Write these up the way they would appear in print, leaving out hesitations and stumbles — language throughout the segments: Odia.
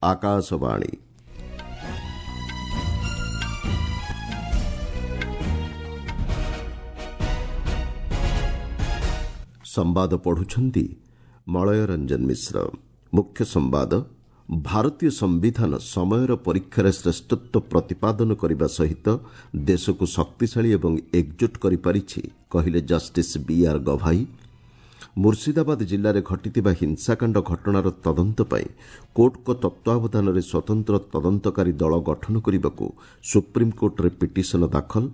ଆକାଶବାଣୀ। ସମ୍ବାଦ ପଢୁଛନ୍ତି ମଳୟ ରଞ୍ଜନ ମିଶ୍ର। ମୁଖ୍ୟ ସମ୍ବାଦ। ଭାରତୀୟ ସମ୍ବିଧାନ ସମୟର ପରୀକ୍ଷାରେ ଶ୍ରେଷ୍ଠତ୍ୱ ପ୍ରତିପାଦନ କରିବା ସହିତ ଦେଶକୁ ଶକ୍ତିଶାଳୀ ଏବଂ ଏକଜୁଟ କରିପାରିଛି, କହିଲେ ଜଷ୍ଟିସ୍ ବି ଆର୍ ଗଭାଇ। ମୁର୍ଶିଦାବାଦ ଜିଲ୍ଲାରେ ଘଟିଥିବା ହିଂସାକାଣ୍ଡ ଘଟଣାର ତଦନ୍ତ ପାଇଁ କୋର୍ଟଙ୍କ ତତ୍ତ୍ୱାବଧାନରେ ସ୍ୱତନ୍ତ୍ର ତଦନ୍ତକାରୀ ଦଳ ଗଠନ କରିବାକୁ ସୁପ୍ରିମକୋର୍ଟରେ ପିଟିସନ ଦାଖଲ।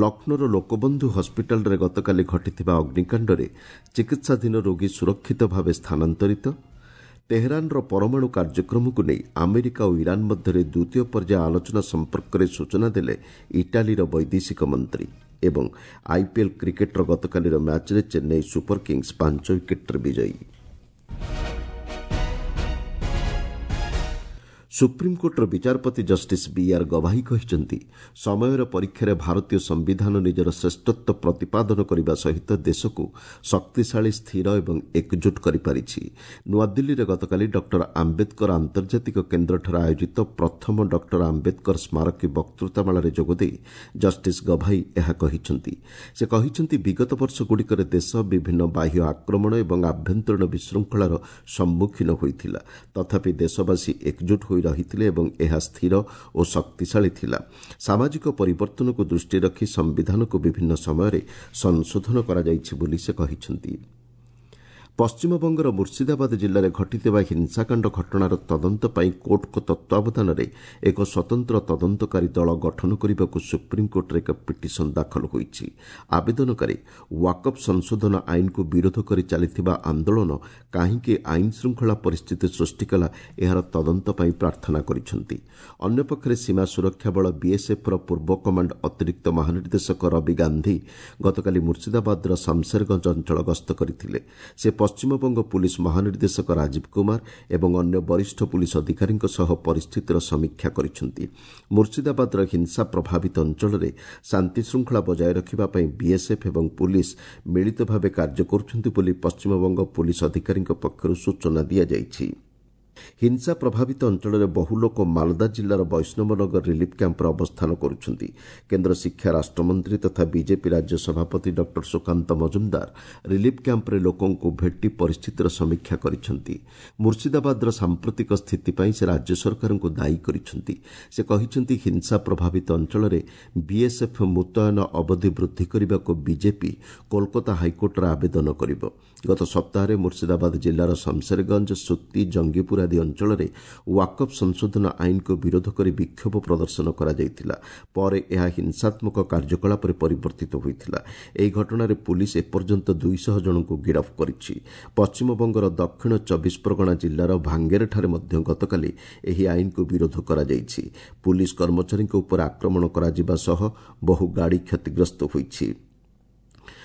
ଲକ୍ଷ୍ନୌର ଲୋକବନ୍ଧୁ ହସ୍ପିଟାଲରେ ଗତକାଲି ଘଟିଥିବା ଅଗ୍ନିକାଣ୍ଡରେ ଚିକିତ୍ସାଧୀନ ରୋଗୀ ସୁରକ୍ଷିତ ଭାବେ ସ୍ଥାନାନ୍ତରିତ। ତେହେରାନର ପରମାଣୁ କାର୍ଯ୍ୟକ୍ରମକୁ ନେଇ ଆମେରିକା ଓ ଇରାନ୍ ମଧ୍ୟରେ ଦ୍ୱିତୀୟ ପର୍ଯ୍ୟାୟ ଆଲୋଚନା ସମ୍ପର୍କରେ ସୂଚନା ଦେଲେ ଇଟାଲୀର ବୈଦେଶିକ ମନ୍ତ୍ରୀ। ଏବଂ ଆଇପିଏଲ୍ କ୍ରିକେଟ୍ର ଗତକାଲିର ମ୍ୟାଚ୍ରେ ଚେନ୍ନାଇ ସୁପର କିଙ୍ଗସ୍ 5 ୱିକେଟ୍ରେ ବିଜୟୀ। ସୁପ୍ରିମକୋର୍ଟର ବିଚାରପତି ଜଷ୍ଟିସ୍ ବି ଆର୍ ଗଭାଇ କହିଛନ୍ତି, ସମୟର ପରୀକ୍ଷାରେ ଭାରତୀୟ ସମ୍ବିଧାନ ନିଜର ଶ୍ରେଷ୍ଠତ୍ୱ ପ୍ରତିପାଦନ କରିବା ସହିତ ଦେଶକୁ ଶକ୍ତିଶାଳୀ, ସ୍ଥିର ଏବଂ ଏକଜୁଟ କରିପାରିଛି। ନୂଆଦିଲ୍ଲୀରେ ଗତକାଲି ଡକ୍ଟର ଆମ୍ବେଦକର ଆନ୍ତର୍ଜାତିକ କେନ୍ଦ୍ରଠାରେ ଆୟୋଜିତ ପ୍ରଥମ ଡକ୍ଟର ଆମ୍ବେଦକର ସ୍ମାରକୀ ବକ୍ତୃତାମାଳାରେ ଯୋଗଦେଇ ଜଷ୍ଟିସ୍ ଗଭାଇ ଏହା କହିଛନ୍ତି। ସେ କହିଛନ୍ତି, ବିଗତ ବର୍ଷଗୁଡ଼ିକରେ ଦେଶ ବିଭିନ୍ନ ବାହ୍ୟ ଆକ୍ରମଣ ଏବଂ ଆଭ୍ୟନ୍ତରୀଣ ବିଶୃଙ୍ଖଳାର ସମ୍ମୁଖୀନ ହୋଇଥିଲା। ତଥାପି ଦେଶବାସୀ ଏକଜୁଟ ହୋଇ ରହିଥିଲେ ଏବଂ ଏହା ସ୍ଥିର ଓ ଶକ୍ତିଶାଳୀ ଥିଲା। ସାମାଜିକ ପରିବର୍ତ୍ତନକୁ ଦୃଷ୍ଟିରେ ରଖି ସମ୍ବିଧାନକୁ ବିଭିନ୍ନ ସମୟରେ ସଂଶୋଧନ କରାଯାଇଛି ବୋଲି ସେ କହିଛନ୍ତି। ପଶ୍ଚିମବଙ୍ଗର ମୁର୍ଶିଦାବାଦ ଜିଲ୍ଲାରେ ଘଟିଥିବା ହିଂସାକାଣ୍ଡ ଘଟଣାର ତଦନ୍ତ ପାଇଁ କୋର୍ଟଙ୍କ ତତ୍ତ୍ୱାବଧାନରେ ଏକ ସ୍ୱତନ୍ତ୍ର ତଦନ୍ତକାରୀ ଦଳ ଗଠନ କରିବାକୁ ସୁପ୍ରିମକୋର୍ଟରେ ଏକ ପିଟିସନ ଦାଖଲ ହୋଇଛି। ଆବେଦନକାରୀ ୱାକଫ୍ ସଂଶୋଧନ ଆଇନକୁ ବିରୋଧ କରି ଚାଲିଥିବା ଆନ୍ଦୋଳନ କାହିଁକି ଆଇନ ଶୃଙ୍ଖଳା ପରିସ୍ଥିତି ସୃଷ୍ଟି କଲା, ଏହାର ତଦନ୍ତ ପାଇଁ ପ୍ରାର୍ଥନା କରିଛନ୍ତି। ଅନ୍ୟପକ୍ଷରେ ସୀମା ସୁରକ୍ଷା ବଳ ବିଏସ୍ଏଫ୍ର ପୂର୍ବ କମାଣ୍ଡ ଅତିରିକ୍ତ ମହାନିର୍ଦ୍ଦେଶକ ରବି ଗାନ୍ଧୀ ଗତକାଲି ମୁର୍ଶିଦାବାଦର ସାମସେରଗଞ୍ଜ ଅଞ୍ଚଳ ଗସ୍ତ କରିଥିଲେ। ସେ ପଶ୍ଚିମବଙ୍ଗ ପୁଲିସ୍ ମହାନିର୍ଦ୍ଦେଶକ ରାଜୀବ କୁମାର ଏବଂ ଅନ୍ୟ ବରିଷ୍ଠ ପୁଲିସ୍ ଅଧିକାରୀଙ୍କ ସହ ପରିସ୍ଥିତିର ସମୀକ୍ଷା କରିଛନ୍ତି। ମୁର୍ଶିଦାବାଦର ହିଂସା ପ୍ରଭାବିତ ଅଞ୍ଚଳରେ ଶାନ୍ତିଶୃଙ୍ଖଳା ବଜାୟ ରଖିବା ପାଇଁ ବିଏସ୍ଏଫ୍ ଏବଂ ପୁଲିସ୍ ମିଳିତ ଭାବେ କାର୍ଯ୍ୟ କରୁଛନ୍ତି ବୋଲି ପଶ୍ଚିମବଙ୍ଗ ପୁଲିସ୍ ଅଧିକାରୀଙ୍କ ପକ୍ଷରୁ ସୂଚନା ଦିଆଯାଇଛି। ହିଂସା ପ୍ରଭାବିତ ଅଞ୍ଚଳରେ ବହୁ ଲୋକ ମାଲଦା ଜିଲ୍ଲାର ବୈଷ୍ଣବନଗର ରିଲିଫ୍ କ୍ୟାମ୍ପରେ ଅବସ୍ଥାନ କରୁଛନ୍ତି। କେନ୍ଦ୍ର ଶିକ୍ଷା ରାଷ୍ଟ୍ରମନ୍ତ୍ରୀ ତଥା ବିଜେପି ରାଜ୍ୟ ସଭାପତି ଡକ୍ଟର ସୁକାନ୍ତ ମଜୁମଦାର ରିଲିଫ୍ କ୍ୟାମ୍ପରେ ଲୋକଙ୍କୁ ଭେଟି ପରିସ୍ଥିତିର ସମୀକ୍ଷା କରିଛନ୍ତି। ମୁର୍ଶିଦାବାଦର ସାମ୍ପ୍ରତିକ ସ୍ଥିତି ପାଇଁ ସେ ରାଜ୍ୟ ସରକାରଙ୍କୁ ଦାୟୀ କରିଛନ୍ତି। ସେ କହିଛନ୍ତି, ହିଂସା ପ୍ରଭାବିତ ଅଞ୍ଚଳରେ ବିଏସ୍ଏଫ୍ ମୁତୟନ ଅବଧି ବୃଦ୍ଧି କରିବାକୁ ବିଜେପି କୋଲକାତା ହାଇକୋର୍ଟରେ ଆବେଦନ କରିବ। ଗତ ସପ୍ତାହରେ ମୁର୍ଶିଦାବାଦ ଜିଲ୍ଲାର ସମସେରଗଞ୍ଜ, ସୁତି, ଜଙ୍ଗିପୁର ଆଦି ଅଞ୍ଚଳରେ ୱାକଫ୍ ସଂଶୋଧନ ଆଇନକୁ ବିରୋଧ କରି ବିକ୍ଷୋଭ ପ୍ରଦର୍ଶନ କରାଯାଇଥିଲା। ପରେ ଏହା ହିଂସାତ୍ମକ କାର୍ଯ୍ୟକଳାପରେ ପରିବର୍ତ୍ତିତ ହୋଇଥିଲା। ଏହି ଘଟଣାରେ ପୁଲିସ୍ ଏପର୍ଯ୍ୟନ୍ତ 200 ଜଣଙ୍କୁ ଗିରଫ କରିଛି। ପଶ୍ଚିମବଙ୍ଗର ଦକ୍ଷିଣ 24 ପ୍ରଗଣା ଜିଲ୍ଲାର ଭାଙ୍ଗେରଠାରେ ମଧ୍ୟ ଗତକାଲି ଏହି ଆଇନକୁ ବିରୋଧ କରାଯାଇଛି। ପୁଲିସ୍ କର୍ମଚାରୀଙ୍କ ଉପରେ ଆକ୍ରମଣ କରାଯିବା ସହ ବହୁ ଗାଡ଼ି କ୍ଷତିଗ୍ରସ୍ତ ହୋଇଛି।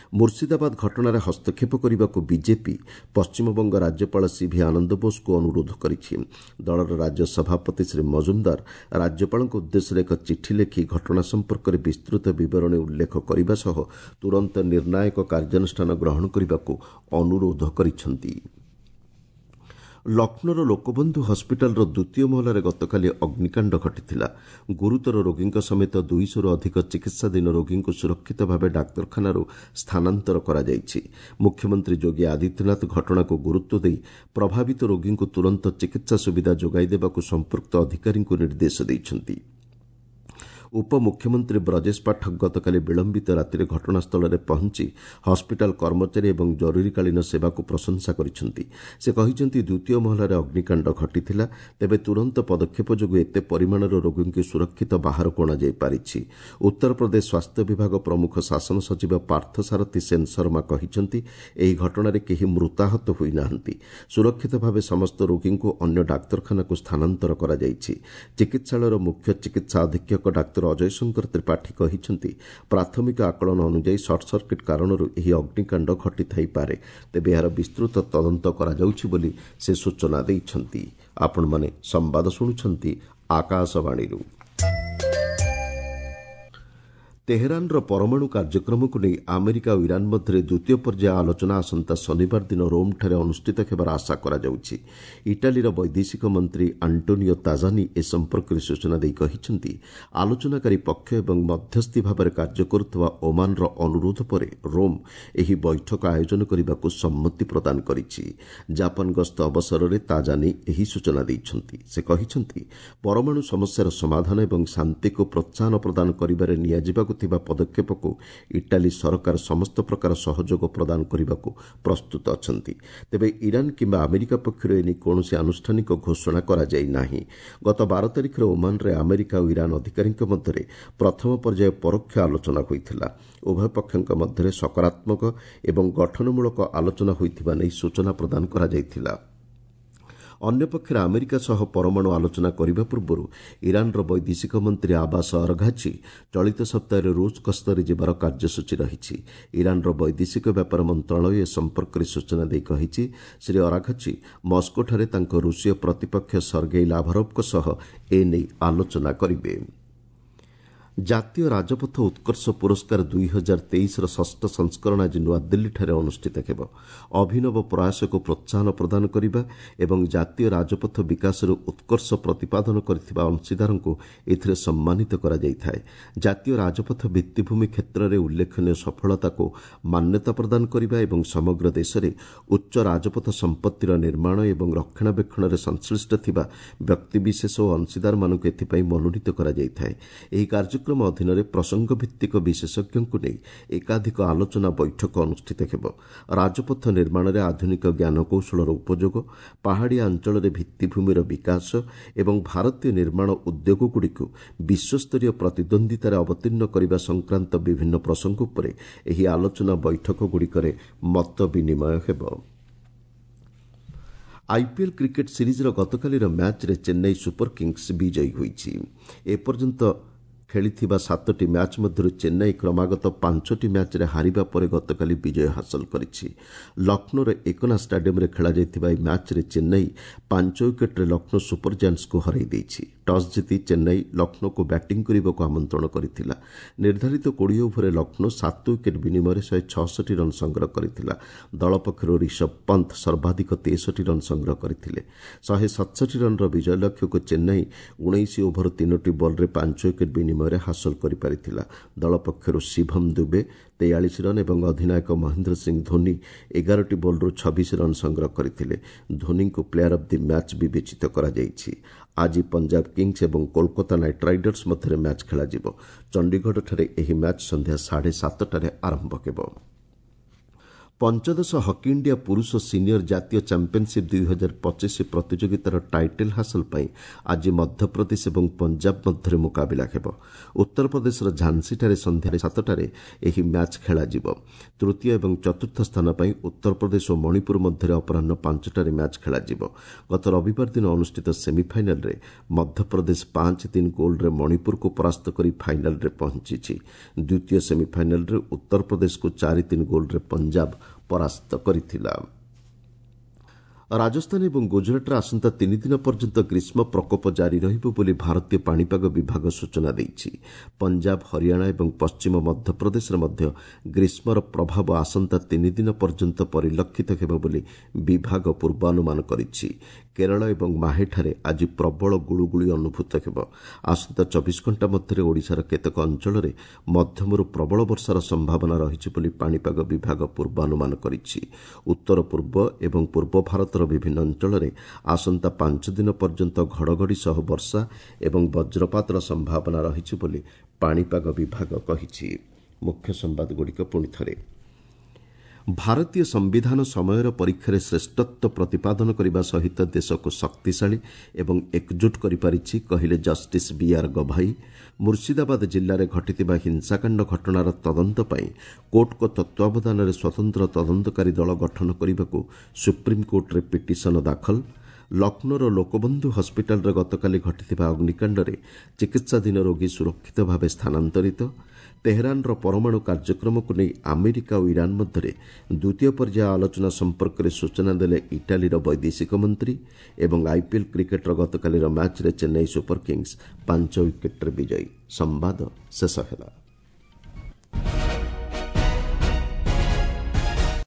ମୁର୍ଶିଦାବାଦ ଘଟଣାରେ ହସ୍ତକ୍ଷେପ କରିବାକୁ ବିଜେପି ପଶ୍ଚିମବଙ୍ଗ ରାଜ୍ୟପାଳ ସିଭି ଆନନ୍ଦ ବୋଷଙ୍କୁ ଅନୁରୋଧ କରିଛି। ଦଳର ରାଜ୍ୟ ସଭାପତି ଶ୍ରୀ ମଜୁମଦାର ରାଜ୍ୟପାଳଙ୍କ ଉଦ୍ଦେଶ୍ୟରେ ଏକ ଚିଠି ଲେଖି ଘଟଣା ସମ୍ପର୍କରେ ବିସ୍ତୃତ ବିବରଣୀ ଉଲ୍ଲେଖ କରିବା ସହ ତୁରନ୍ତ ନିର୍ଣ୍ଣାୟକ କାର୍ଯ୍ୟାନୁଷ୍ଠାନ ଗ୍ରହଣ କରିବାକୁ ଅନୁରୋଧ କରିଛନ୍ତି। ଲକ୍ଷ୍ନୌର ଲୋକବନ୍ଧୁ ହସ୍ପିଟାଲର ଦ୍ୱିତୀୟ ମହଲାରେ ଗତକାଲି ଅଗ୍ନିକାଣ୍ଡ ଘଟିଥିଲା। ଗୁରୁତର ରୋଗୀଙ୍କ ସମେତ 200ରୁ ଅଧିକ ଚିକିତ୍ସାଧୀନ ରୋଗୀଙ୍କୁ ସୁରକ୍ଷିତ ଭାବେ ଡାକ୍ତରଖାନାରୁ ସ୍ଥାନାନ୍ତର କରାଯାଇଛି। ମୁଖ୍ୟମନ୍ତ୍ରୀ ଯୋଗୀ ଆଦିତ୍ୟନାଥ ଘଟଣାକୁ ଗୁରୁତ୍ୱ ଦେଇ ପ୍ରଭାବିତ ରୋଗୀଙ୍କୁ ତୁରନ୍ତ ଚିକିତ୍ସା ସୁବିଧା ଯୋଗାଇ ଦେବାକୁ ସମ୍ପୃକ୍ତ ଅଧିକାରୀଙ୍କୁ ନିର୍ଦ୍ଦେଶ ଦେଇଛନ୍ତି। ଉପମୁଖ୍ୟମନ୍ତ୍ରୀ ବ୍ରଜେଶ ପାଠକ ଗତକାଲି ବିଳମ୍ବିତ ରାତିରେ ଘଟଣାସ୍ଥଳରେ ପହଞ୍ଚି ହସ୍ପିଟାଲ କର୍ମଚାରୀ ଏବଂ ଜରୁରୀକାଳୀନ ସେବାକୁ ପ୍ରଶଂସା କରିଛନ୍ତି। ସେ କହିଛନ୍ତି, ଦ୍ୱିତୀୟ ମହଲାରେ ଅଗ୍ନିକାଣ୍ଡ ଘଟିଥିଲା। ତେବେ ତୁରନ୍ତ ପଦକ୍ଷେପ ଯୋଗୁଁ ଏତେ ପରିମାଣର ରୋଗୀଙ୍କୁ ସୁରକ୍ଷିତ ବାହାରକୁ ଅଣାଯାଇପାରିଛି। ଉତ୍ତରପ୍ରଦେଶ ସ୍ୱାସ୍ଥ୍ୟ ବିଭାଗ ପ୍ରମୁଖ ଶାସନ ସଚିବ ପାର୍ଥସାରଥୀ ସେନ ଶର୍ମା କହିଛନ୍ତି, ଏହି ଘଟଣାରେ କେହି ମୃତାହତ ହୋଇନାହାନ୍ତି। ସୁରକ୍ଷିତ ଭାବେ ସମସ୍ତ ରୋଗୀଙ୍କୁ ଅନ୍ୟ ଡାକ୍ତରଖାନାକୁ ସ୍ଥାନାନ୍ତର କରାଯାଇଛି। ଚିକିତ୍ସାଳୟର ମୁଖ୍ୟ ଚିକିତ୍ସା ଅଧୀକ୍ଷକ ଡାକ୍ତର ଅଜୟ ଶଙ୍କର ତ୍ରିପାଠୀ କହିଛନ୍ତି, ପ୍ରାଥମିକ ଆକଳନ ଅନୁଯାୟୀ ସର୍ଟସର୍କିଟ୍ କାରଣରୁ ଏହି ଅଗ୍ନିକାଣ୍ଡ ଘଟିଥାଇପାରେ। ତେବେ ଏହାର ବିସ୍ତୃତ ତଦନ୍ତ କରାଯାଉଛି ବୋଲି ସେ ସୂଚନା ଦେଇଛନ୍ତି। ଆପଣମାନେ ସମ୍ବାଦ ଶୁଣୁଛନ୍ତି ଆକାଶବାଣୀରୁ। ତେହେରାନର ପରମାଣୁ କାର୍ଯ୍ୟକ୍ରମକୁ ନେଇ ଆମେରିକା ଓ ଇରାନ୍ ମଧ୍ୟରେ ଦ୍ୱିତୀୟ ପର୍ଯ୍ୟାୟ ଆଲୋଚନା ଆସନ୍ତା ଶନିବାର ଦିନ ରୋମ୍ଠାରେ ଅନୁଷ୍ଠିତ ହେବାର ଆଶା କରାଯାଉଛି। ଇଟାଲୀର ବୈଦେଶିକ ମନ୍ତ୍ରୀ ଆଣ୍ଟୋନିଓ ତାଜାନି ଏ ସମ୍ପର୍କରେ ସୂଚନା ଦେଇ କହିଛନ୍ତି, ଆଲୋଚନାକାରୀ ପକ୍ଷ ଏବଂ ମଧ୍ୟସ୍ଥି ଭାବରେ କାର୍ଯ୍ୟ କରୁଥିବା ଓମାନର ଅନୁରୋଧ ପରେ ରୋମ୍ ଏହି ବୈଠକ ଆୟୋଜନ କରିବାକୁ ସମ୍ମତି ପ୍ରଦାନ କରିଛି। ଜାପାନ ଗସ୍ତ ଅବସରରେ ତାଜାନି ଏହି ସୂଚନା ଦେଇଛନ୍ତି। ସେ କହିଛନ୍ତି, ପରମାଣୁ ସମସ୍ୟାର ସମାଧାନ ଏବଂ ଶାନ୍ତିକୁ ପ୍ରୋତ୍ସାହନ ପ୍ରଦାନ କରିବାରେ ନିଆଯିବାକୁ ଥିବା ପଦକ୍ଷେପକୁ ଇଟାଲୀ ସରକାର ସମସ୍ତ ପ୍ରକାର ସହଯୋଗ ପ୍ରଦାନ କରିବାକୁ ପ୍ରସ୍ତୁତ ଅଛନ୍ତି। ତେବେ ଇରାନ୍ କିମ୍ବା ଆମେରିକା ପକ୍ଷରୁ ଏନେଇ କୌଣସି ଆନୁଷ୍ଠାନିକ ଘୋଷଣା କରାଯାଇ ନାହିଁ। ଗତ 12 ତାରିଖରେ ଓମାନରେ ଆମେରିକା ଓ ଇରାନ୍ ଅଧିକାରୀଙ୍କ ମଧ୍ୟରେ ପ୍ରଥମ ପର୍ଯ୍ୟାୟ ପରୋକ୍ଷ ଆଲୋଚନା ହୋଇଥିଲା। ଉଭୟ ପକ୍ଷଙ୍କ ମଧ୍ୟରେ ସକାରାତ୍ମକ ଏବଂ ଗଠନମୂଳକ ଆଲୋଚନା ହୋଇଥିବା ନେଇ ସୂଚନା ପ୍ରଦାନ କରାଯାଇଥିଲା। ଅନ୍ୟପକ୍ଷରେ ଆମେରିକା ସହ ପରମାଣୁ ଆଲୋଚନା କରିବା ପୂର୍ବରୁ ଇରାନ୍ର ବୈଦେଶିକ ମନ୍ତ୍ରୀ ଆବାସ ଅରଘାଚି ଚଳିତ ସପ୍ତାହରେ ରୁଷ ଗସ୍ତରେ ଯିବାର କାର୍ଯ୍ୟସୂଚୀ ରହିଛି। ଇରାନ୍ର ବୈଦେଶିକ ବ୍ୟାପାର ମନ୍ତ୍ରଣାଳୟ ଏ ସମ୍ପର୍କରେ ସୂଚନା ଦେଇ କହିଛି, ଶ୍ରୀ ଅରାଘଚି ମସ୍କୋଠାରେ ତାଙ୍କ ରୁଷୀୟ ପ୍ରତିପକ୍ଷ ସର୍ଗେଇ ଲାଭାରୋଭ୍ଙ୍କ ସହ ଏନେଇ ଆଲୋଚନା କରିବେ। ଜାତୀୟ ରାଜପଥ ଉତ୍କର୍ଷ ପୁରସ୍କାର 2023ର ଷଷ୍ଠ ସଂସ୍କରଣ ଆଜି ନୂଆଦିଲ୍ଲୀଠାରେ ଅନୁଷ୍ଠିତ ହେବ। ଅଭିନବ ପ୍ରୟାସକୁ ପ୍ରୋତ୍ସାହନ ପ୍ରଦାନ କରିବା ଏବଂ ଜାତୀୟ ରାଜପଥ ବିକାଶରେ ଉତ୍କର୍ଷ ପ୍ରତିପାଦନ କରିଥିବା ଅଂଶୀଦାରଙ୍କୁ ଏଥିରେ ସମ୍ମାନିତ କରାଯାଇଥାଏ। ଜାତୀୟ ରାଜପଥ ଭିତ୍ତିଭୂମି କ୍ଷେତ୍ରରେ ଉଲ୍ଲେଖନୀୟ ସଫଳତାକୁ ମାନ୍ୟତା ପ୍ରଦାନ କରିବା ଏବଂ ସମଗ୍ର ଦେଶରେ ଉଚ୍ଚ ରାଜପଥ ସମ୍ପତ୍ତିର ନିର୍ମାଣ ଏବଂ ରକ୍ଷଣାବେକ୍ଷଣରେ ସଂଶ୍ଳିଷ୍ଟ ଥିବା ବ୍ୟକ୍ତିବିଶେଷ ଓ ଅଂଶୀଦାରମାନଙ୍କୁ ଏଥିପାଇଁ ମନୋନୀତ କରାଯାଇଥାଏ। ଏହି କାର୍ଯ୍ୟକ୍ରମ ଅଧୀନରେ ପ୍ରସଙ୍ଗଭିତ୍ତିକ ବିଶେଷଜ୍ଞଙ୍କୁ ନେଇ ଏକାଧିକ ଆଲୋଚନା ବୈଠକ ଅନୁଷ୍ଠିତ ହେବ। ରାଜପଥ ନିର୍ମାଣରେ ଆଧୁନିକ ଜ୍ଞାନକୌଶଳର ଉପଯୋଗ, ପାହାଡ଼ିଆ ଅଞ୍ଚଳରେ ଭିତ୍ତିଭୂମିର ବିକାଶ ଏବଂ ଭାରତୀୟ ନିର୍ମାଣ ଉଦ୍ୟୋଗଗୁଡ଼ିକୁ ବିଶ୍ୱସ୍ତରୀୟ ପ୍ରତିଦ୍ୱନ୍ଦ୍ୱିତାରେ ଅବତୀର୍ଣ୍ଣ କରିବା ସଂକ୍ରାନ୍ତ ବିଭିନ୍ନ ପ୍ରସଙ୍ଗ ଉପରେ ଏହି ଆଲୋଚନା ବୈଠକଗୁଡ଼ିକରେ ମତ ବିନିମୟ ହେବ। ଆଇପିଏଲ୍ କ୍ରିକେଟ୍ ସିରିଜ୍ର ଗତକାଲିର ମ୍ୟାଚ୍ରେ ଚେନ୍ନାଇ ସୁପର କିଙ୍ଗସ୍ ବିଜୟୀ ହୋଇଛି। ଏପର୍ଯ୍ୟନ୍ତ ଖେଳିଥିବା 7ଟି ମ୍ୟାଚ୍ ମଧ୍ୟରୁ ଚେନ୍ନାଇ କ୍ରମାଗତ 5ଟି ମ୍ୟାଚ୍ରେ ହାରିବା ପରେ ଗତକାଲି ବିଜୟ ହାସଲ କରିଛି। ଲକ୍ଷ୍ନୌର ଏକନା ଷ୍ଟାଡିୟମ୍ରେ ଖେଳାଯାଇଥିବା ଏହି ମ୍ୟାଚ୍ରେ ଚେନ୍ନାଇ 5 ୱିକେଟ୍ରେ ଲକ୍ଷ୍ନୌ ସୁପର ଜାଏଣ୍ଟସ୍କୁ ହରାଇ ଦେଇଛି। ଟସ୍ ଜିତି ଚେନ୍ନାଇ ଲକ୍ଷ୍ନୌକୁ ବ୍ୟାଟିଂ କରିବାକୁ ଆମନ୍ତ୍ରଣ କରିଥିଲା। ନିର୍ଦ୍ଧାରିତ 20 ଓଭରରେ ଲକ୍ଷ୍ନୌ 7 ୱିକେଟ୍ ବିନିମୟରେ 166 ରନ୍ ସଂଗ୍ରହ କରିଥିଲା। ଦଳ ପକ୍ଷରୁ ରିଷଭ ପନ୍ଥ ସର୍ବାଧିକ 63 ରନ୍ ସଂଗ୍ରହ କରିଥିଲେ। 167 ରନ୍ର ବିଜୟ ଲକ୍ଷ୍ୟକୁ ଚେନ୍ନାଇ 19 ଓଭର 3ଟି ବଲ୍ରେ 5 ୱିକେଟ୍ ବିନିମୟରେ ହାସଲ କରିପାରିଥିଲା। ଦଳ ପକ୍ଷରୁ ଶିଭମ ଦୁବେ 43 ରନ୍ ଏବଂ ଅଧିନାୟକ ମହେନ୍ଦ୍ର ସିଂ ଧୋନି 11ଟି ବଲ୍ରୁ 26 ରନ୍ ସଂଗ୍ରହ କରିଥିଲେ। ଧୋନିଙ୍କୁ ପ୍ଲେୟାର ଅଫ୍ the match ବିବେଚିତ କରାଯାଇଛି। ଆଜି ପଞ୍ଜାବ କିଙ୍ଗସ୍ ଏବଂ କୋଲକାତା ନାଇଟ୍ ରାଇଡର୍ସ ମଧ୍ୟରେ ମ୍ୟାଚ୍ ଖେଳାଯିବ। ଚଣ୍ଡିଗଡ଼ଠାରେ ଏହି ମ୍ୟାଚ୍ ସନ୍ଧ୍ୟା 7:30ଟାରେ ଆରମ୍ଭ ହେବ। ପଞ୍ଚଦଶ ହକି ଇଣ୍ଡିଆ ପୁରୁଷ ସିନିୟର ଜାତୀୟ ଚାମ୍ପିୟନସିପ୍ 2025 ପ୍ରତିଯୋଗିତାର ଟାଇଟଲ୍ ହାସଲ ପାଇଁ ଆଜି ମଧ୍ୟପ୍ରଦେଶ ଏବଂ ପଞ୍ଜାବ ମଧ୍ୟରେ ମୁକାବିଲା ହେବ। ଉତ୍ତରପ୍ରଦେଶର ଝାନ୍ସୀଠାରେ ସନ୍ଧ୍ୟା 7ଟାରେ ଏହି ମ୍ୟାଚ୍ ଖେଳାଯିବ। ତୃତୀୟ ଏବଂ ଚତୁର୍ଥ ସ୍ଥାନ ପାଇଁ ଉତ୍ତରପ୍ରଦେଶ ଓ ମଣିପୁର ମଧ୍ୟରେ ଅପରାହ୍ନ 5ଟାରେ ମ୍ୟାଚ୍ ଖେଳାଯିବ। ଗତ ରବିବାର ଦିନ ଅନୁଷ୍ଠିତ ସେମିଫାଇନାଲରେ ମଧ୍ୟପ୍ରଦେଶ 5-3 ଗୋଲ୍ରେ ମଣିପୁରକୁ ପରାସ୍ତ କରି ଫାଇନାଲରେ ପହଞ୍ଚିଛି। ଦ୍ୱିତୀୟ ସେମିଫାଇନାଲରେ ଉତ୍ତରପ୍ରଦେଶକୁ 4-3 ଗୋଲ୍ରେ ପଞ୍ଜାବ ପରାସ୍ତ କରିଥିଲା। ରାଜସ୍ଥାନ ଏବଂ ଗୁଜରାଟରେ ଆସନ୍ତା 3 ଦିନ ପର୍ଯ୍ୟନ୍ତ ଗ୍ରୀଷ୍ମ ପ୍ରକୋପ ଜାରି ରହିବ ବୋଲି ଭାରତୀୟ ପାଣିପାଗ ବିଭାଗ ସୂଚନା ଦେଇଛି। ପଞ୍ଜାବ, ହରିୟାଣା ଏବଂ ପଶ୍ଚିମ ମଧ୍ୟପ୍ରଦେଶରେ ମଧ୍ୟ ଗ୍ରୀଷ୍ମର ପ୍ରଭାବ ଆସନ୍ତା 3 ଦିନ ପର୍ଯ୍ୟନ୍ତ ପରିଲକ୍ଷିତ ହେବ ବୋଲି ବିଭାଗ ପୂର୍ବାନୁମାନ କରିଛି। କେରଳ ଏବଂ ମାହେଠାରେ ଆଜି ପ୍ରବଳ ଗୁଳୁଗୁଳି ଅନୁଭୂତ ହେବ। ଆସନ୍ତା 24 ଘଣ୍ଟା ମଧ୍ୟରେ ଓଡ଼ିଶାର କେତେକ ଅଞ୍ଚଳରେ ମଧ୍ୟମରୁ ପ୍ରବଳ ବର୍ଷାର ସମ୍ଭାବନା ରହିଛି ବୋଲି ପାଣିପାଗ ବିଭାଗ ପୂର୍ବାନୁମାନ କରିଛି। ଉତ୍ତର ପୂର୍ବ ଏବଂ ପୂର୍ବ ଭାରତର ବିଭିନ୍ନ ଅଞ୍ଚଳରେ ଆସନ୍ତା 5 ଦିନ ପର୍ଯ୍ୟନ୍ତ ଘଡ଼ଘଡ଼ି ସହ ବର୍ଷା ଏବଂ ବଜ୍ରପାତର ସମ୍ଭାବନା ରହିଛି ବୋଲି ପାଣିପାଗ ବିଭାଗ କହିଛି। ମୁଖ୍ୟ ସମ୍ବାଦଗୁଡ଼ିକ ପୁଣି ଥରେ। ଭାରତୀୟ ସମ୍ବିଧାନ ସମୟର ପରୀକ୍ଷାରେ ଶ୍ରେଷ୍ଠତ୍ୱ ପ୍ରତିପାଦନ କରିବା ସହିତ ଦେଶକୁ ଶକ୍ତିଶାଳୀ ଏବଂ ଏକଜୁଟ କରିପାରିଛି, କହିଲେ ଜଷ୍ଟିସ୍ ବିଆର୍ ଗଭାଇ। ମୁର୍ଶିଦାବାଦ ଜିଲ୍ଲାରେ ଘଟିଥିବା ହିଂସାକାଣ୍ଡ ଘଟଣାର ତଦନ୍ତ ପାଇଁ କୋର୍ଟଙ୍କ ତତ୍ତ୍ୱାବଧାନରେ ସ୍ୱତନ୍ତ୍ର ତଦନ୍ତକାରୀ ଦଳ ଗଠନ କରିବାକୁ ସୁପ୍ରିମକୋର୍ଟରେ ପିଟିସନ ଦାଖଲ। ଲକ୍ଷ୍ନୌର ଲୋକବନ୍ଧୁ ହସ୍ପିଟାଲରେ ଗତକାଲି ଘଟିଥିବା ଅଗ୍ନିକାଣ୍ଡରେ ଚିକିତ୍ସାଧୀନ ରୋଗୀ ସୁରକ୍ଷିତ ଭାବେ ସ୍ଥାନାନ୍ତରିତ। ତେହେରାନର ପରମାଣୁ କାର୍ଯ୍ୟକ୍ରମକୁ ନେଇ ଆମେରିକା ଓ ଇରାନ୍ ମଧ୍ୟରେ ଦ୍ୱିତୀୟ ପର୍ଯ୍ୟାୟ ଆଲୋଚନା ସମ୍ପର୍କରେ ସୂଚନା ଦେଲେ ଇଟାଲୀର ବୈଦେଶିକ ମନ୍ତ୍ରୀ। ଏବଂ ଆଇପିଏଲ୍ କ୍ରିକେଟ୍ର ଗତକାଲିର ମ୍ୟାଚ୍ରେ ଚେନ୍ନାଇ ସୁପର କିଙ୍ଗସ୍ 5 ୱିକେଟ୍ରେ ବିଜୟୀ। ସମ୍ବାଦ ଶେଷ ହେଲା।